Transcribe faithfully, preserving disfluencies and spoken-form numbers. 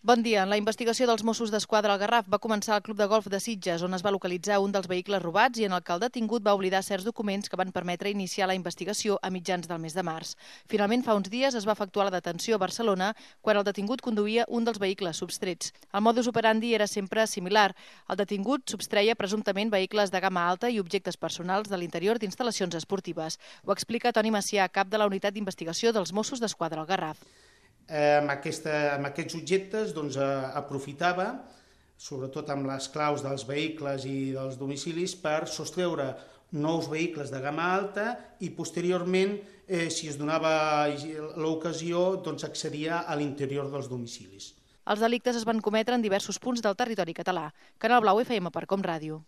Bon dia. La investigació dels Mossos d'Esquadra al Garraf va començar al Club de Golf de Sitges, on es va localitzar un dels vehicles robats i en el que el detingut va oblidar certs documents que van permetre iniciar la investigació a mitjans del mes de març. Finalment, fa uns dies es va efectuar la detenció a Barcelona quan el detingut conduïa un dels vehicles substrets. El modus operandi era sempre similar. El detingut substreia presumptament vehicles de gamma alta i objectes personals de l'interior d'instal·lacions esportives. Ho explica Toni Macià, cap de la unitat d'investigació dels Mossos d'Esquadra al Garraf. Eh, amb, aquesta, amb aquests objectes doncs, eh, aprofitava, sobretot amb les claus dels vehicles i dels domicilis, per sostreure nous vehicles de gamma alta i posteriorment, eh, si es donava l'ocasió, doncs accedia a l'interior dels domicilis. Els delictes es van cometre en diversos punts del territori català. Canal Blau F M per Com Ràdio.